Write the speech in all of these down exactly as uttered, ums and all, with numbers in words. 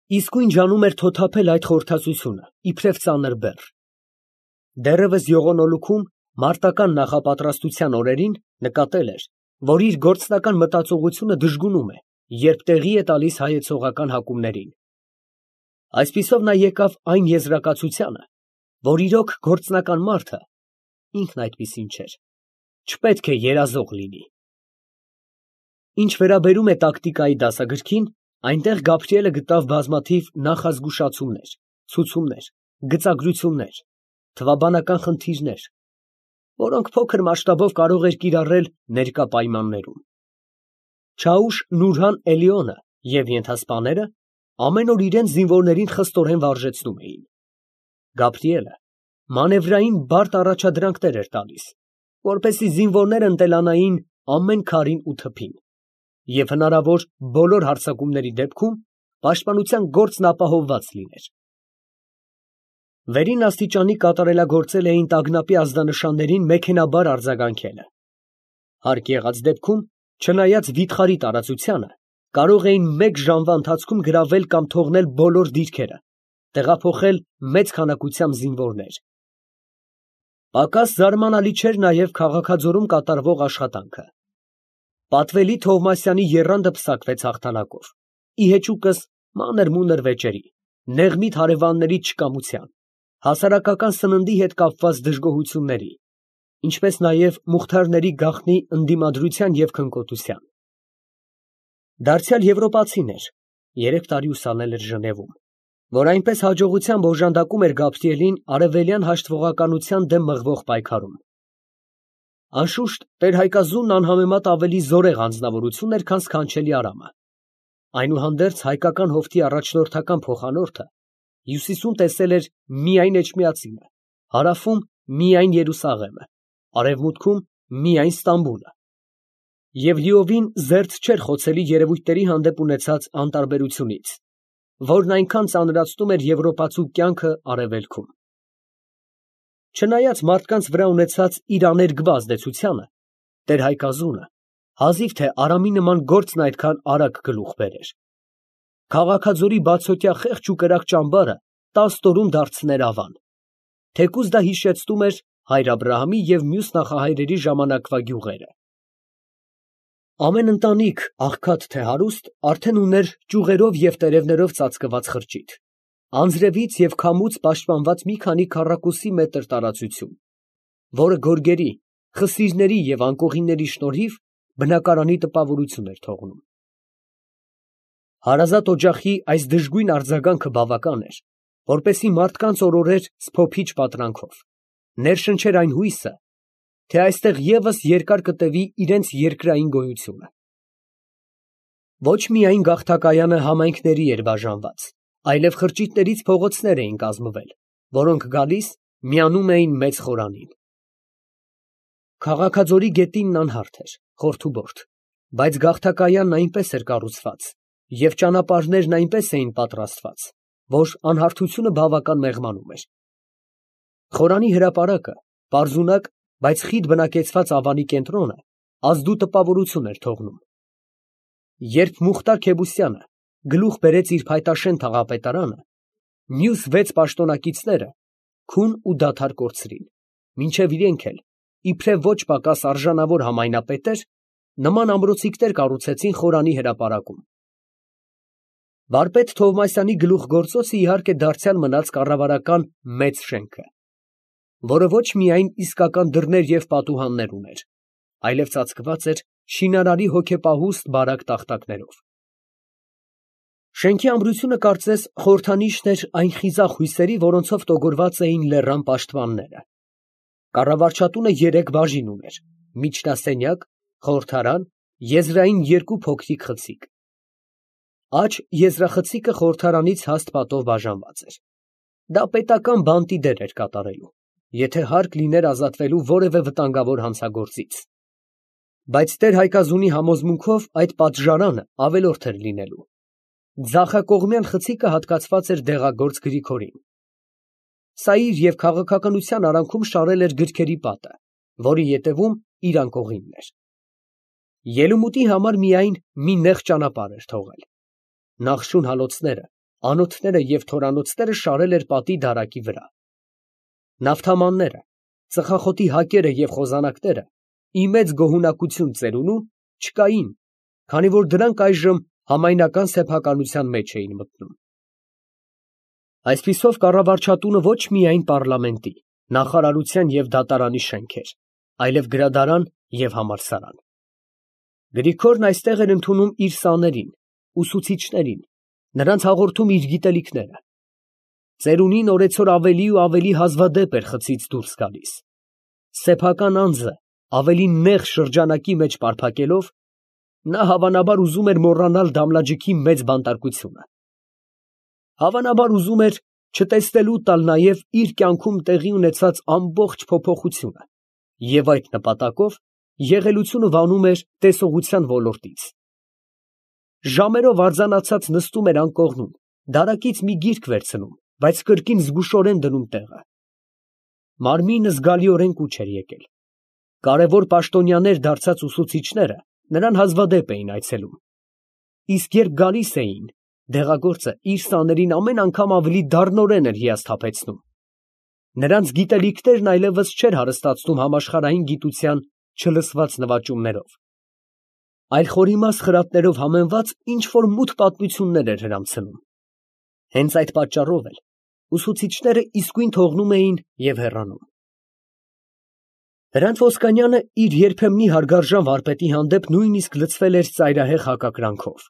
Իսկույն ջանում էր թոթափել այդ խորհրդածությունը, իբրև ծանր բեռ։ Դեռևս յողոնոլուքում, մարտական նախապատրաստության օրերին, նկատել էր, որ իր գործնական մտածողությունը դժգունում է, երբ տեղի է տալիս հայեցողական հակումներին։ Այսպիսով նա եկավ այն եզրակացությանը, որ իրոք գործնական մարդը (ինքն այդպիսին չէր) չպետք է երազող լինի։ Ինչ վերաբերում է տակտիկայի դասագրքին, այնտեղ Գաբրիելը գտավ բազմաթիվ նախազգուշացումներ, ցուցումներ, գծագրություններ, թվաբանական խնդիրներ, որոնք փոքր մասշտաբով կարող էր կիրառել ներկա պայմաններում։ Չաուշ Նուրհան Էլիոնը և ենթասպաները ամեն օր իրենց զինվորներին խստորեն վարժեցնում էին։ Գաբրիելը մանևրային բարդ առաջադրանքներ էր տալիս, որպեսզի զինվորները ընտելանային ամեն քարին ու թփին, և հնարավոր բոլոր հարձակումների դեպքում պաշտպանության գործն ապահովված լիներ։ Վերին աստիճանի կատարելագործել էին տագնապի ազդանշաններին մեքենաբար արձագանքելը։ Հարկ եղած դեպքում, չնայած վիթխարի տարածությանը, կարող էին մեկ ժամվա ընթացքում գրավել կամ թողնել բոլոր դիրքերը, տեղափոխել մեծ քանակությամբ զինվորներ։ Պակաս զարմանալի չէր նաև քաղաքաձորում կատարվող աշխատանքը։ Պատվելի Թովմասյանի եռանդը պսակվեց հաղթանակով, ի հեճուկս մանր֊մունր վեճերի, նեղմիտ հարևանների չկամության, հասարակական սննդի հետ կապված դժգոհությունների, ինչպես նաև մուղթարների գաղտնի ընդդիմադրության և քնկոտության։ Դարձյալ եվրոպացին էր, երեք տարի ուսանել էր Ժնևում, որ այնպես հաջողությամբ օժանդակում էր Գաբրիելին արևելյան հաշտվողականության դեմ մղվող պայքարում։ Անշուշտ, տեր֊Հայկազունն անհամեմատ ավելի զորեղ անձնավորություն էր, քան սքանչելի Արամը։ Այնուհանդերձ հայկական հովտի առաջնորդական փոխանորդը հյուսիսում տեսել էր միայն Էջմիածինը, հարավում միայն Երուսաղեմը, արևմուտքում միայն Ստամբուլը, և լիովին զերծ չէր խոցելի երևույթների հանդեպ ունեցած անտարբերությունից, որն այնքան ծանրացնում էր եվրոպացու կյանքը արևելքում։ Չնայած մարդկանց վրա ունեցած իր աներկբա ազդեցությանը, տեր֊Հայկազունը հազիվ թե Արամի նման գործն այդքան արագ գլուխ բերեր։ Քաղաքաձորի բացօթյա խեղճ ու կրակ ճամբարը տասը տարում դարձներ ավան, թեկուզ դա հիշեցնում էր հայր Աբրահամի և մյուս նախահայրերի ժամանակվա գյուղերը։ Ամեն ընտանիք, աղքատ թե հարուստ, արդեն ուներ ճյուղերով և տերևներով ծածկված խրճիթ, անձրևից և քամուց պաշտպանված մի քանի քառակուսի մետր տարածություն, որը գորգերի, խսիրների և անկողինների շնորհիվ բնակարանի տպավորություն էր թողնում։ Հարազատ օջախի այս դժգույն արձագանքը բավական էր, որպեսզի մարդկանց օրորեր սփոփիչ պատրանքով, ներշնչեր այն հույսը, թե այստեղ ևս երկար կտևի իրենց երկրային գոյությունը։ Ոչ միայն գաղթակայանը համայնքների էր բաժանված, այլև խրճիթներից փողոցներ էին կազմվել, որոնք գալիս միանում էին մեծ խորանին։ Քաղաքաձորի գետինն անհարթ էր, խորթուբորդ, բայց գաղթակայանն այնպես էր կառուցված և ճանապարհներն այնպես էին պատրաստված, որ անհարթությունը բավական մեղմանում էր։ Խորանի հրապարակը, պարզունակ, բայց խիտ բնակեցված ավանի կենտրոնը ազդու տպավորություն էր թողնում։ Երբ Մուխտար Քեբուսյանը գլուխ բերեց իր փայտաշեն թաղապետարանը, մյուս վեց պաշտոնակիցները քուն ու դադար կորցրին, մինչև իրենք էլ, իբրև ոչ պակաս արժանավոր համայնապետեր, նման ամրոցիկներ կառուցեցին Խորանի հրապարակում։ Վարպետ Թովմասյանի գլուխգործոցը իհարկե դարձյալ մնաց կառավարական մեծ շենքը, որը ոչ միայն իսկական դռներ և պատուհաններ ուներ, այլև ծածկված էր շինարարի հոգեպահուստ բարակ տախտակներով։ Շենքի ամրությունը կարծես խորհրդանիշն էր այն խիզախ հույսերի, որոնցով տոգորված էին լեռան պաշտպանները։ Կառավարչատունը երեք բաժին ուներ՝ միջնասենյակ, խորհրդարան, եզրային երկու փոքրիկ խցիկ։ Աջ եզրախցիկը խորհրդարանից հաստ պատով բաժանված էր։ Դա պետական բանտի դեր էր կատարելու, եթե հարկ լիներ ազատվելու որևէ վտանգավոր հանցագործից։ Բայց տեր֊Հայկազունի համոզմունքով այդ պատժարանը ավելորդ էր լինելու։ Ձախակողմյան խցիկը հատկացված էր դեղագործ Գրիգորին։ Սա իր և քաղաքականության արանքում շարել էր գրքերի պատը, որի ետևում իր անկողինն էր։ Ելումուտի համար միայն մի նեղ ճանապարհ էր թողել։ Նախշուն հալոցները անոթները և թորանոցները շարել էր պատի դարակի վրա։ Նավթամանները, ծխախոտի հակերը և խոզանակները ի մեծ գոհունակություն ծերունու չկային, քանի որ դրանք այժմ համայնական սեփականության մեջ էին մտնում։ Այսպիսով կառավարչատունը ոչ միայն պառլամենտի, նախարարության և դատարանի շենք էր, այլև գրադարան և համալսարան։ Գրիգորն այստեղ էր ընդունում իր սաներին, ուսուցիչներին, նրանց հաղորդում իր գիտելիքները։ Ծերունին օրեցօր ավելի ու ավելի հազվադեպ էր խցից դուրս գալիս։ Սեփական անձը ավելի նեղ շրջանակի մեջ պարփակելով, նա հավանաբար ուզում էր մոռանալ Դամլաջիքի մեծ բանտարկությունը։ Հավանաբար ուզում էր չտեսնելու տալ նաև իր կյանքում տեղի ունեցած ամբողջ փոփոխությունը և այդ նպատակով եղելությունը վանում էր տեսողության ոլորտից։ Ժամերով արձանացած նստում էր անկողնում, դարակից մի գիրք վերցնում, բայց կրկին զգուշորեն դնում տեղը։ Մարմինը զգալիորեն կուչ էր եկել։ Կարևոր պաշտոնյաներ դարձած ուսուցիչները նրան հազվադեպ էին այցելում։ Իսկ երբ գալիս էին, դեղագործը իր սաներին ամեն անգամ ավելի դառնորեն էր հիասթափեցնում։ Նրանց գիտելիքներն այլևս չէր հարստացնում համաշխարհային գիտության չլսված նվաճումներով, այլ խորիմաստ խրատներով համեմված ինչ֊որ մութ պատմություններ էր հրամցնում։ Հենց այդ պատճառով էլ ուսուցիչները իսկույն թողնում էին և հեռանում։ Հրանտ Ոսկանյանը իր երբեմնի հարգարժան վարպետի հանդեպ նույնիսկ լցվել էր ծայրահեղ հակակրանքով։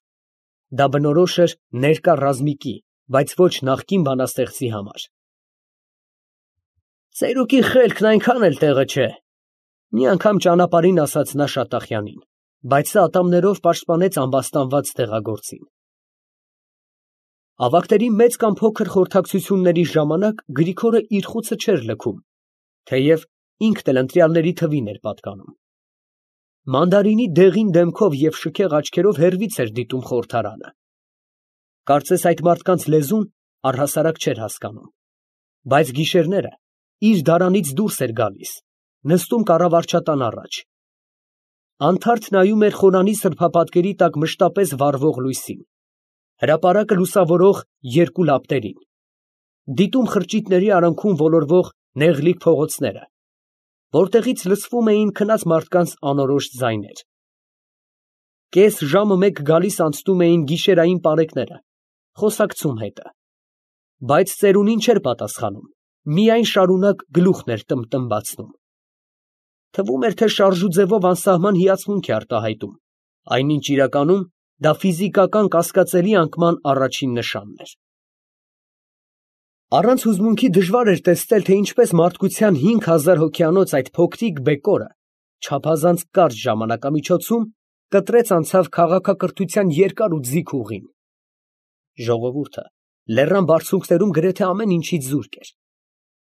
Դա բնորոշ էր ներկա ռազմիկի, բայց ոչ նախկին բանաստեղծի համար։ Ծերուկի խելքն այնքան էլ տեղը չէ, մի անգամ ճանապարհին ասաց նա Շատախյանին, բայց սա ատամներով պաշտպանեց ամբաստանված դեղագործին։ Ավագների մեծ կամ փոքր խորհրդակցությունների ժամանակ Գրիգորը իր խուցը չէր լքում, թեև ինքն էլ ընտրյալների թվին էր պատկանում։ Մանդարինի դեղին դեմքով և շքեղ աչքերով հեռվից էր դիտում խորհրդարանը։ Կարծես այդ մարդկանց լեզուն առհասարակ չէր հասկանում, բայց գիշերները իր դարանից դուրս էր գալիս, նստում կառավարչատան առաջ։ Անթարթ նայում էր խորանի սրբապատկերի տակ մշտապես վառվող լույսին, հրապարակը լուսավորող երկու լապտերին, դիտում խրճիթների արանքում ոլորվող նեղլիկ փողոցները, որտեղից լսվում էին քնած մարդկանց անորոշ ձայներ։ Կես ժամը մեկ գալիս անցնում էին գիշերային պարեկները, խոսակցում հետը, բայց ծերունին չէր պատասխանում, միայն շարունակ գլուխն էր տմբտմբացնում։ Թվում էր, թե շարժուձևով անսահման հիացմունք է արտահայտում, այնինչ իրականում դա ֆիզիկական կասկածելի անկման առաջին նշանն էր։ Առանց հուզմունքի դժվար էր տեսնել, թե ինչպես մարդկության հինգ հազար հոգյանոց այդ փոքրիկ բեկորը չափազանց կարճ ժամանակամիջոցում կտրեց անցավ քաղաքակրթության երկար ու ձիգ ուղին։ Ժողովուրդը լեռան բարձունքներում գրեթե ամեն ինչից զուրկ էր։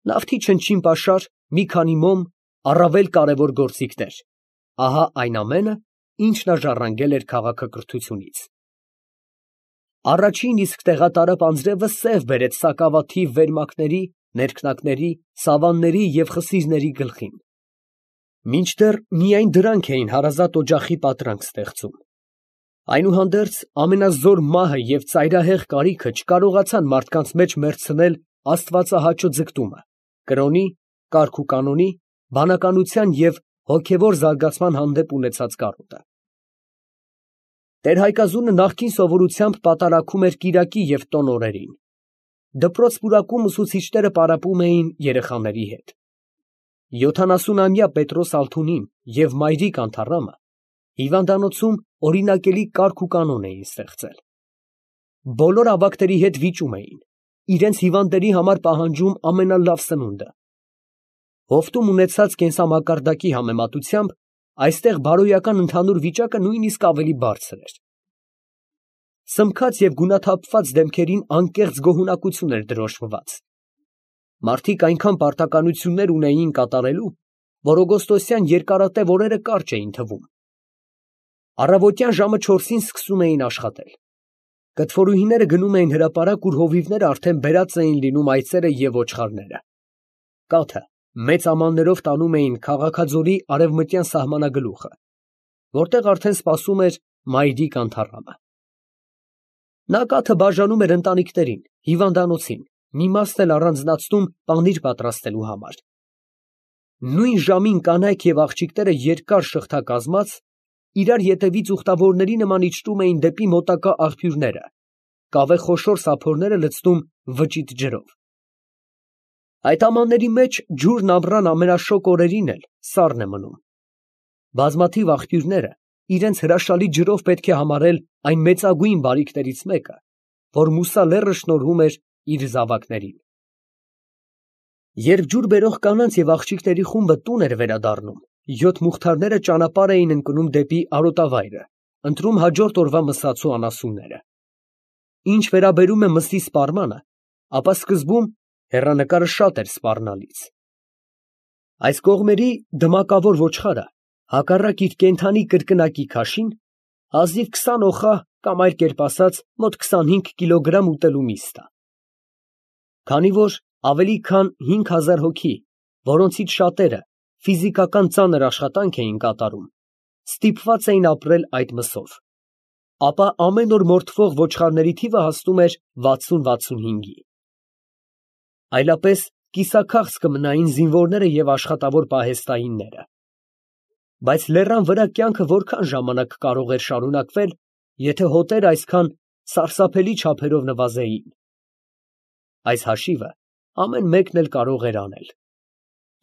Նավթի չնչին պաշար, մի քանի մոմ, առավել կարևոր գործիքներ, ահա այն ամենը, ինչ նա ժառանգել էր քաղաքակրթությունից։ Առաջին իսկ տեղատարափ անձրևը սև բերեց սակավաթիվ վերմակների, ներքնակների, սավանների և խսիրների գլխին։ Մինչդեռ միայն դրանք էին հարազատ օջախի պատրանք ստեղծում։ Այնուհանդերձ ամենազոր մահը և ծայրահեղ կարիքը չկարողացան մարդկանց մեջ մեռցնել աստվածահաճո ձգտումը, կրոնի, կարգուկանոնի, բանականության և հոգևոր զարգացման հանդեպ ունեցած կարոտը։ Տեր֊Հայկազունը նախկին սովորությամբ պատարագում էր կիրակի և տոն օրերին։ Դպրոց֊պուրակում ուսուցիչները պարապում էին երեխաների հետ։ Յոթանասունամյա Պետրոս Ալթունին և Մայրիկ Անթառամը հիվանդանոցում օրինակելի կարգուկանոն էին ստեղծել։ Բոլոր ավագների հետ վիճում էին, իրենց հիվանդների համար պահանջում ամենալավ սնունդը։ Հովտում ունեցած կենսամակարդակի համեմատությամբ այստեղ բարոյական ընդհանուր վիճակը նույնիսկ ավելի բարձր էր։ Սմքած և գունաթափված դեմքերին անկեղծ գոհունակություն էր դրոշմված։ Մարդիկ այնքան պարտականություններ ունեին կատարելու, որ օգոստոսյան երկարատև օրերը կարճ էին թվում։ Առավոտյան ժամը չորսին սկսում էին աշխատել։ Կտվորուհիները գնում էին հրապարակ, ուր հովիվները արդեն բերած էին լինում այծերը և ոչխարները։ Կաթը մեծ ամաններով տանում էին Քաղաքաձորի արևմտյան սահմանագլուխը, որտեղ արդեն սպասում էր Մայրիկ Անթառամը։ Նա կաթը բաժանում էր ընտանիքներին, հիվանդանոցին, մի մասն էլ առանձնացնում պանիր պատրաստելու համար։ Նույն ժամին կանայք և աղջիկները երկար շղթա կազմած, իրար ետևից ուխտավորների նման իջնում էին դեպի մոտակա աղբյուրները, կավե խոշոր սափորները լցնում վճիտ ջրով։ Այդ ամանների մեջ ջուրն ամռան ամենաշոգ օրերին էլ սառն է մնում։ Բազմաթիվ աղբյուրները իրենց հրաշալի ջրով պետք է համարել այն մեծագույն բարիքներից մեկը, որ Մուսա լեռը շնորհում էր իր զավակներին։ Երբ ջուր բերող կանանց և աղջիկների խումբը տուն էր վերադառնում, յոթ մուղթարները ճանապարհ էին ընկնում դեպի արոտավայրը, ընտրում հաջորդ օրվա մսացու անասունները։ Ինչ վերաբերում է մսի սպառմանը, ապա սկզբում հեռանկարը շատ էր սպառնալից։ Այս կողմերի դմակավոր ոչխարը, հակառակ իր կենդանի կրկնակի քաշին, հազիվ քսան օխա կամ այլ կերպ ասած մոտ քսանհինգ կիլոգրամ ուտելու միստ է։ Քանի որ ավելի քան հինգ հազար հոգի, որոնցից շատերը ֆիզիկական ծանր աշխատանք էին կատարում, ստիպված էին ապրել այդ մսով, ապա ամեն օր մորթվող ոչխարների թիվը հասնում էր վաթսուն֊վաթսունհինգի։ Այլապես կիսաքաղց կմնային զինվորները և աշխատավոր պահեստայինները։ Բայց լեռան վրա կյանքը որքան ժամանակ կարող էր շարունակվել, եթե հոտերը այսքան սարսափելի չափերով նվազեին։ Այս հաշիվը ամեն մեկն էլ կարող էր անել։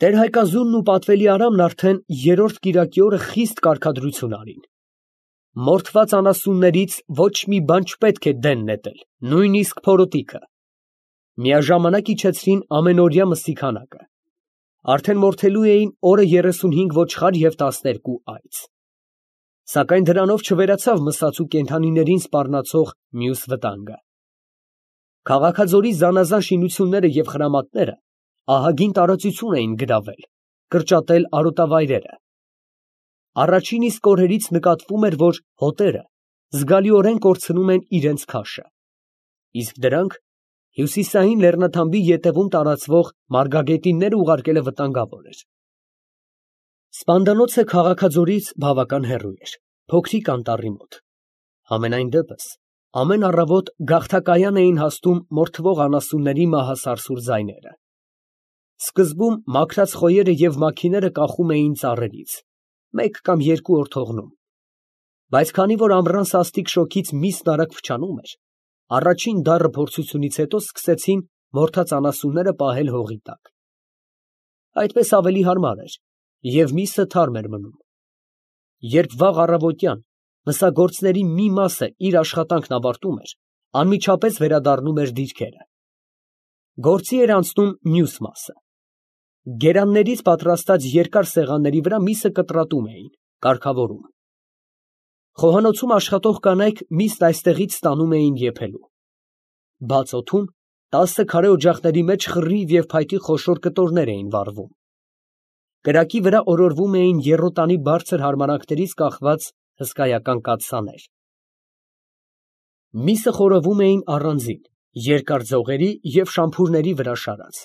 Տեր֊Հայկազունն ու պատվելի Արամն արդեն երրորդ կիրակի օրը խիստ կարգադրություն արին։ Մորթված անասուններից ոչ մի բան չպետք է դեն նետել, նույնիսկ փորոտիքը։ Միաժամանակ իջեցրին ամենօրյա մսի քանակը։ Արդեն մորթելու էին օրը երեսունհինգ ոչխար և տասներկու այծ։ Սակայն դրանով չվերացավ մսացու կենդանիներին սպառնացող մյուս վտանգը։ Քաղաքաձորի զանազան շինությունները և խրամատները ահագին տարածություն էին գրավել, կրճատել արոտավայրերը։ Առաջին իսկ օրերից նկատվում էր, որ հոտերը զգալիորեն կորցնում են իրենց քաշը, իսկ դրանք հյուսիսային լեռնաթամբի ետևում տարածվող մարգագետինները ուղարկելը վտանգավոր էր։ Սպանդանոցը քաղաքաձորից բավական հեռու էր, փոքրիկ անտառի մոտ։ Համենայն դեպս ամեն առավոտ գաղթակայան էին հասնում մորթվող անասունների մահասարսուռ ձայները։ Սկզբում մաքրած խոյերը և մաքիները կախում էին ծառերից, մեկ կամ երկու օր թողնում։ Բայց քանի որ ամռան սաստիկ շոգից միսն արագ փչանում էր, առաջին դառը փորձությունից հետո սկսեցին մորթած անասունները պահել հողի տակ։ Այդպես ավելի հարմար էր, և միսը թարմ էր մնում։ Երբ վաղ առավոտյան մսագործների մի մասը իր աշխատանքն ավարտում էր, անմիջապես վերադառնում էր դիրքերը։ Գործի էր անցնում մյուս մասը։ Գերաններից պատրաստած երկար սեղանների վրա միսը կտրատում էին, կարգավորում։ Խոհանոցում աշխատող կանայք միսն այստեղից ստանում էին եփելու։ Բաց օդում տասը քարե օջախների մեջ խռիվ և փայտի խոշոր կտորներ էին վառվում։ Կրակի վրա օրորվում էին եռոտանի բարձր հարմարանքներից կախված հսկայական կաթսաներ։ Միսը խորովում էին առանձին, երկար ձողերի և շամփուրների վրա շարած։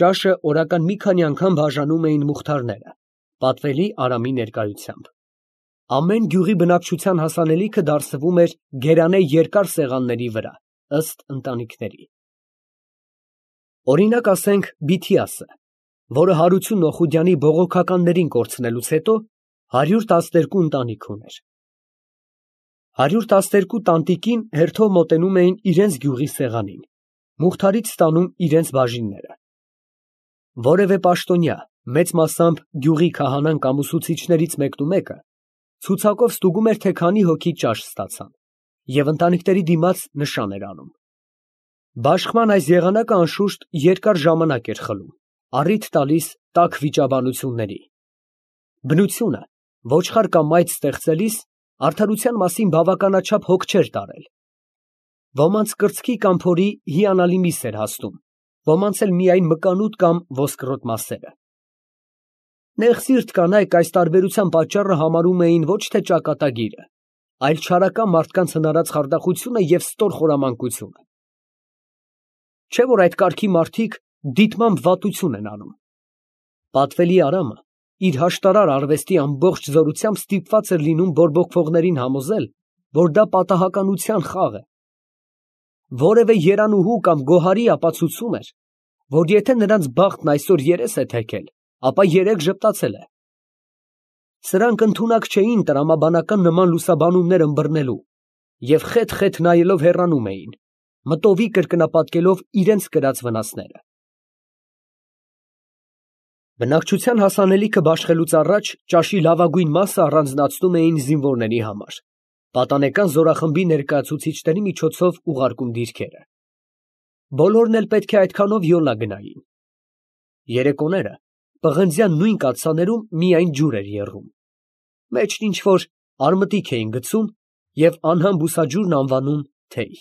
Ճաշը օրական մի քանի անգամ բաժանում էին մուղթարները, պատվելի Արամի ներկայությամբ։ Ամեն գյուղի բնակչության հասանելիքը դարսվում էր գերանե երկար սեղանների վրա, ըստ ընտանիքների։ Օրինակ ասենք Բիթիասը, որը Հարություն Օխուդյանի բողոքականներին կորցնելուց հետո հարյուր տասներկու ընտանիք ուներ։ Հարյուր տասներկու տանտիկին հերթով մոտենում էին իրենց գյուղի սեղանին, մուղթարից ստանում իրենց բաժինները։ Որևէ պաշտոնյա, մեծ մասամբ գյուղի քահանան կամ ուսուցիչներից մեկնումեկը, ցուցակով ստուգում էր, թե քանի հոգի ճաշ ստացան, և ընտանիքների դիմաց նշան էր անում։ Բաշխման այս եղանակը անշուշտ երկար ժամանակ էր խլում, առիթ տալիս տաք վիճաբանությունների։ Բնությունը ոչխար կամ այծ ստեղծելիս արդարության մասին բավականաչափ հոգ չէր տարել։ Ոմանց կրծքի կամ փորի հիանալի միս էր հասնում, ոմանց էլ միայն մկանուտ կամ ոսկրոտ մասերը։ Նեղսիրտ կանայք այս տարբերության պատճառը համարում էին ոչ թե ճակատագիրը, այլ չարական մարդկանց հնարած խարդախությունը և ստոր խորամանկությունը։ Չէ՞ որ այդ կարգի մարդիկ դիտմամբ վատություն են անում։ Պատվելի Արամը իր հաշտարար արվեստի ամբողջ զորությամբ ստիպված էր լինում բորբոքվողներին համոզել, որ դա պատահականության խաղ է։ Որևէ երանուհու կամ գոհարի ապացուցում էր, որ եթե նրանց բախտն այսօր երես է թեքել, ապա երեկ ժպտացել է։ Սրանք ընդունակ չէին տրամաբանական նման լուսաբանումներ ըմբռնելու և խեթ֊խեթ նայելով հեռանում էին, մտովի կրկնապատկելով իրենց կրած վնասները։ Բնակչության հասանելիքը բաշխելուց առաջ ճաշի լավագույն մասը առանձնացնում էին զինվորների համար, պատանեկան զորախմբի ներկայացուցիչների միջոցով ուղարկում դիրքերը։ Բոլորն էլ պետք է այդքանով յոլա գնային։ Երեկոները պղնձյան նույն կաթսաներում միայն ջուր էր եռում, մեջն ինչ֊որ արմտիկ էին գցում և անհամ բուսաջուրն անվանում թեյ։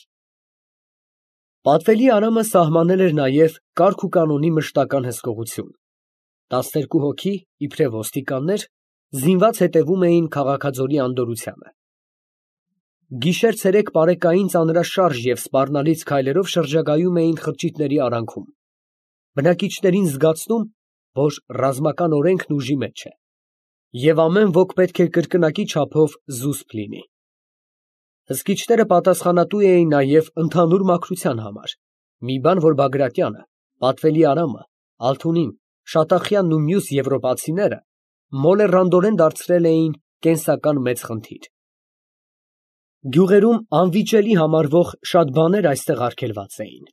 Պատվելի Արամը սահմանել էր նաև կարգ ու կանոնի մշտական հսկողություն։ Տասներկու հոգի, իբրև ոստիկաններ, զինված հետևում էին քաղաքաձորի անդորրությանը։ Գիշեր֊ցերեկ պարեկային ծանրաշարժ և սպառնալից քայլերով շրջագայում էին խրճիթների արանքում, բնակիչներին զգացնում, որ ռազմական օրենքն ուժի մեջ է, և ամեն ոք պետք է կրկնակի չափով զուսպ լինի։ Հսկիչները պատասխանատու էին նաև ընդհանուր մաքրության համար, մի բան, որ Բագրատյանը, պատվելի Արամը, Ալթունին, Շատախյանն ու մյուս եվրոպացիները մոլեռանդորեն դարձրել էին կենսական մեծ խնդիր։ Գյուղերում անվիճելի համարվող շատ բաներ այստեղ արգելված էին։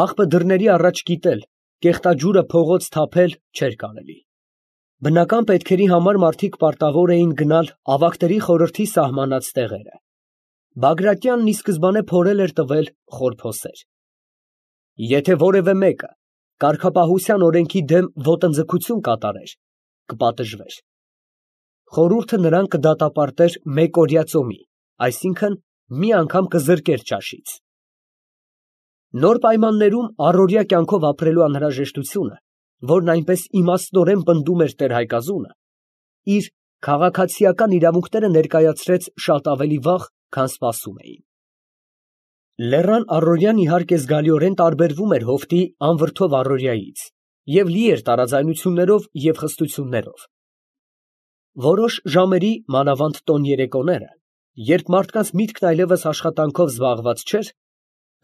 Աղբը դռների առաջ կիտել, կեղտաջուրը փողոց թափել չէր կարելի։ Բնական պետքերի համար մարդիկ պարտավոր էին գնալ ավագների խորհրդի սահմանած տեղերը։ Բագրատյանն ի սկզբանե փորել էր տվել խորփոսեր։ Եթե որևէ մեկը կարգապահության օրենքի դեմ ոտնձգություն կատարեր, կպատժվեր։ Խորհուրդը նրան կդատապարտեր մեկօրյա ծոմի, այսինքն մի անգամ կզրկեր ճաշից։ Նոր պայմաններում առօրյա կյանքով ապրելու անհրաժեշտությունը, որն այնպես իմաստորեն պնդում էր տեր֊Հայկազունը, իր քաղաքացիական իրավունքները ներկայացրեց շատ ավելի վաղ, քան սպասում էին։ Լեռան առօրյան իհարկե զգալիորեն տարբերվում էր հովտի անվրդով առօրյայից և լի էր տարաձայնություններով և խստություններով։ Որոշ ժամերի, մանավանդ տոն երեկոները, երբ մարդկանց միտքն այլևս աշխատանքով զբաղված չէր,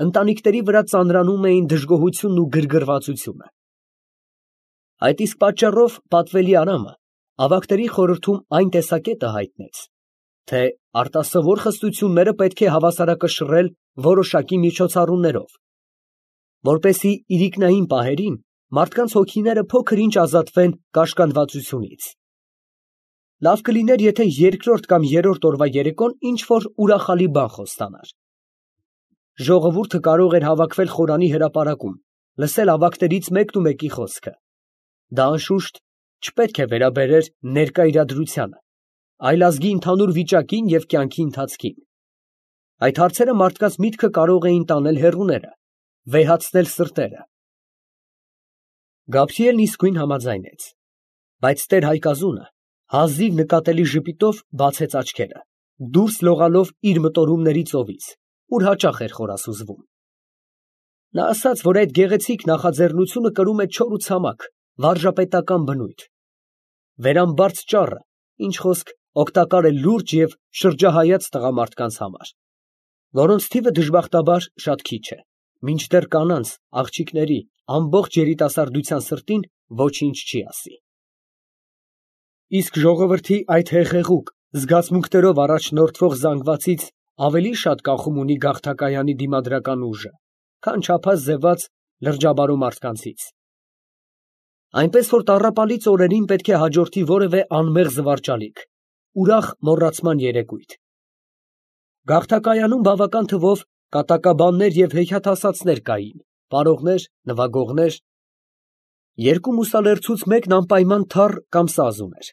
ընտանիքների վրա ծանրանում էին դժգոհությունն ու գրգռվածությունը։ Այդ իսկ պատճառով պատվելի Արամը ավագների խորհրդում այն տեսակետը հայտնեց, թե արտասովոր խստությունները պետք է հավասարակշռել որոշակի միջոցառումներով, որպեսզի իրիկնային պահերին մարդկանց հոգիները փոքր-ինչ ազատվեն կաշկանդվածությունից։ Լավ կլիներ, եթե երկրորդ կամ երրորդ օրվա երեկոն ինչ֊որ ուրախալի բան խոստանար։ Ժողովուրդը կարող էր հավաքվել խորանի հրապարակում, լսել ավագներից մեկն ու մեկի խոսքը։ Դա անշուշտ չպետք է վերաբերեր ներկա իրադրությանը, այլ ազգի ընդհանուր վիճակին և կյանքի ընթացքին։ Այդ հարցերը մարդկանց միտքը կարող էին տանել հեռուները, վեհացնել սրտերը։ Գաբրիելն իսկույն համաձայնեց, բայց տեր֊Հայկազունը հազիվ նկատելի ժպիտով բացեց աչքերը, դուրս լողալով իր մտորումների ծովից, ուր հաճախ էր խորասուզվում։ Նա ասաց, որ այդ գեղեցիկ նախաձեռնությունը կրում է չոր ու ցամաք, վարժապետական բնույթ։ Վերամբարձ ճառը, ինչ խոսք, օգտակար է լուրջ և շրջահայաց տղամարդկանց համար, որոնց թիվը դժբախտաբար շատ քիչ է, մինչդեռ կանանց, աղջիկների, ամբողջ երիտասարդության սրտին ոչինչ չի ասի։ Իսկ ժողովրդի այդ հեղեղուկ, զգացմունքներով առաջնորդվող զանգվածից ավելի շատ կախում ունի գաղթակայանի դիմադրական ուժը, քան չափած ձևած լրջաբարու մարդկանցից։ Այնպես որ տառապալից օրերին պետք է հաջորդի որևէ անմեղ զվարճալիք, ուրախ մոռացման երեկույթ։ Գաղթակայանում բավական թվով կատակաբաններ և հեքիաթասացներ կային, պարողներ, նվագողներ։ Երկու մուսալերցուց մեկն անպայման թառ կամ սազ ուներ։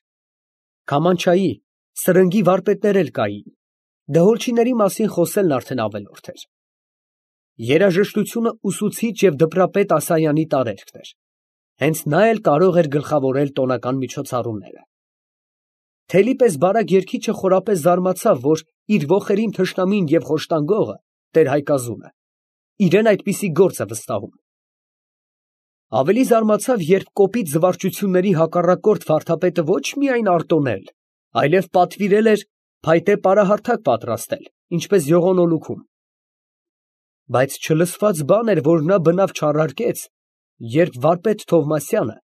Քամանչայի, սրնգի վարպետներ էլ կային, դհոլչիների մասին խոսելն արդեն ավելորդ էր։ Երաժշտությունը ուսուցիչ և դպրապետ Ասայանի տարերքն էր, հենց նա էլ կարող էր գլխավորել տոնական միջոցառումները։ Թելի պես բարակ երգիչը խորապես զարմացավ, որ իր ոխերիմ թշնամին և խոշտանգողը, տեր֊Հայկազունը, իրան այդպիսի գործ է վստահում։ Ավելի զարմացավ, երբ կոպիտ զվարճությունների հակառակորդ վարդապետը ոչ միայն արտոնել, այլև պատվիրել էր փայտե պարահարթակ պատրաստել, ինչպես յողոնոլուքում։ Բայց չլսված բան էր, որ նա բնավ չառարկեց, երբ վարպետ Թովմասյանը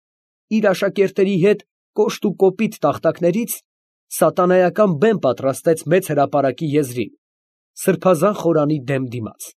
իր աշակերտների հետ կոշտ ու կոպիտ տախտակներից սատանայական բեմ պատրաստեց մեծ հրապարակի եզրին, սրբազան խորանի դեմ դիմաց։